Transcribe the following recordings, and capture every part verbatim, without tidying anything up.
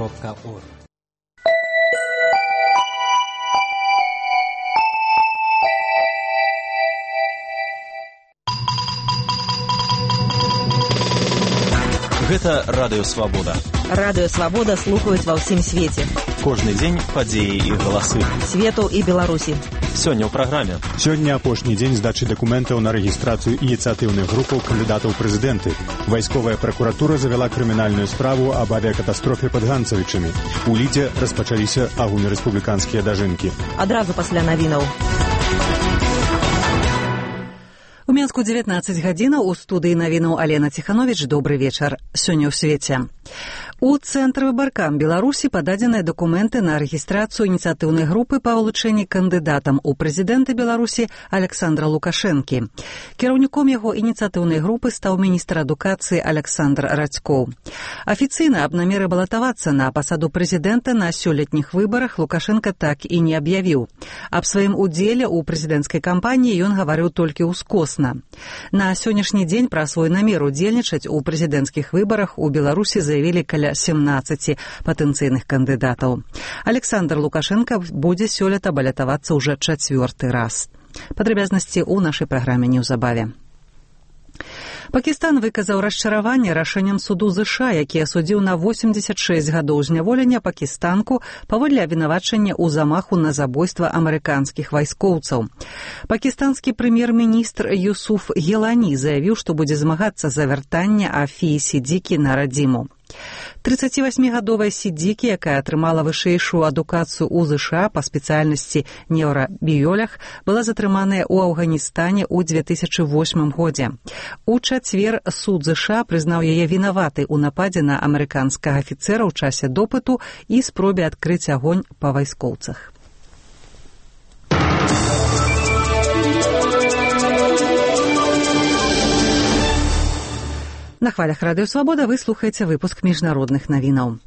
кропка орг. Гэта Радыё Свабода. Радыё Свабода слухаюць ва ўсім свеце. Кожны дзень падзеі і галасы. Свету і Беларусі. Сёння ў праграме. Сёння апошні дзень здачы дакументаў на рэгістрацыю ініцыятыўных групаў кандыдатаў прэзідэнты. Вайсковая пракуратура завяла крымінальную справу аб авіякатастрофе пад Ганцавічамі. У Лідзе распачаліся агульнарэспубліканскія дажынкі. Адразу пасля навінаў. У Менску дзевятнаццаць гадзінаў, у студыі навінаў Алена Ціхановіч. Добры вечар. Сёння ў свеце. У Цэнтры выбаркам Беларусі пададзеныя дакументы на рэгістрацыю ініцыятыўнай групы па вылучэнні кандыдатам у прэзідэнты Беларусі Александра Лукашэнкі. Кіраўніком яго ініцыятыўнай групы стаў міністр адукацыі Александр Радзькоў. Афіцыйна аб намеры балатавацца на пасаду прэзідэнта на сёлетніх выбарах Лукашенка так і не аб'явіў. Аб сваім удзеле ў прэзідэнцкай кампаніі ён гаварыў толькі ўскосна. На сённяшні дзень пра свой намер удзельнічаць у прэзідэнцкіх выбарах у Беларусі заявілі каля семнаццаці патэнцыйных кандыдатаў. Александр Лукашенка будзе сёлета балатавацца ўжо чацвёрты раз. Падрабязнасці ў нашай праграме неўзабаве. Пакістан выказаў расчараванне рашэннем суду ЗША, які асудзіў на восемьдесят шесть гадоў зняволення пакістанку паводле абвінавачання ў замаху на забойства амерыканскіх вайскоўцаў. Пакістанскі прэм'ер-міністр Юсуф Гелані заявіў, што будзе змагацца за вяртанне Афіі Сідзікі на радзіму. трыццацівасьмігадовая Сідзікі, якая атрымала вышэйшую адукацыю ў ЗША па спецыяльнасці неўрабіёлаг, была затрыманая ў Афганістане ў две тысячы восьмым годзе. У чацвер суд ЗША прызнаў яе вінаватай у нападзе на амерыканскага афіцэра ў часе допыту і спробе адкрыць агонь па вайскоўцах. На хвалях Радыё Свабода вы слухаеце выпуск міжнародных навінаў.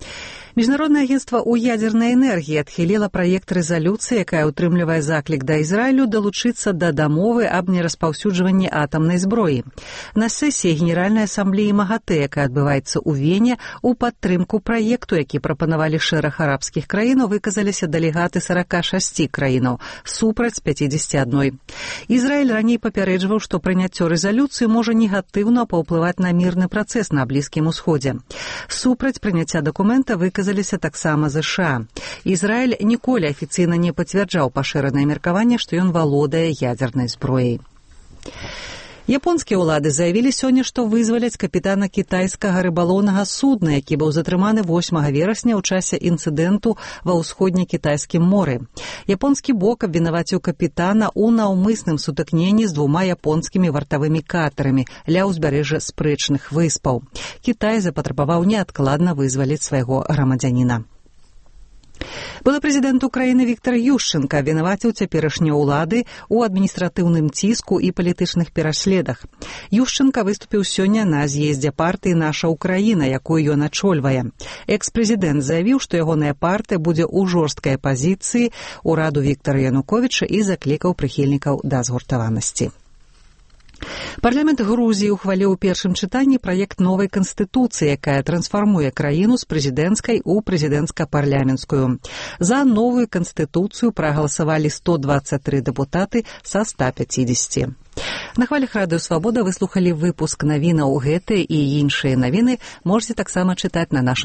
Міжнароднае агенцтва ў ядзернай энергіі адхіліла праект рэзалюцыі, якая ўтрымлівае заклік да Ізраілю далучыцца да дамовы аб нераспаўсюджванні атамнай зброі. На сесіі Генеральнай асамблеі МАГАТЭ, якая адбываецца ў Вене, у падтрымку праекту, які прапанавалі шэраг арабскіх краінаў, выказаліся дэлегаты сорок шесть краінаў, супраць пятьдесят один. Ізраіль раней папярэджваў, што прыняццё рэзалюцыі можа негатыўна паўплываць на мірны працэс на Блізкім усходзе. Супраць прыняцця дакумента выказаліся выказаліся таксама ЗША. Ізраіль ніколі афіцыйна не пацвярджаў пашыранае меркаванне, што ён валодае ядзернай зброяй. Японскія ўлады заявілі сёння, што вызваляць капітана кітайскага рыбалоўнага судна, які быў затрыманы восьмага верасня ў часе інцыдэнту ва ўсходне-кітайскім моры. Японскі бок абвінаваціў капітана ў наўмысным сутыкненні з двума японскімі вартавымі катэрамі ля ўзбярэжжа спрэчных выспаў. Кітай запатрабаваў неадкладна вызваліць свайго грамадзяніна. Былы прэзідэнт Украіны Віктор Ющенка абвінаваціў цяперашнія ўлады ў адміністратыўным ціску і палітычных пераследах. Ющенка выступіў сёння на з'ездзе партыі «Наша Украіна», якую ён ачольвае. Экс-прэзідэнт заявіў, што ягоная партыя будзе ў жорсткай апазіцыі ўраду Віктара Януковіча і заклікаў прыхільнікаў да згуртаванасці. Парламент Грузіі ухваліў у першым чытанні праект новай канстытуцыі, якая трансфармуе краіну з прэзідэнцкай у прэзідэнцка-парламенцкую. За новую канстытуцыю прагаласавалі сто двадцать три дэпутаты са ста пятидесяти. На хвалях Радыё Свабода вы слухалі выпуск навінаў. Гэтыя і іншыя навіны можете таксама чытаць на нашым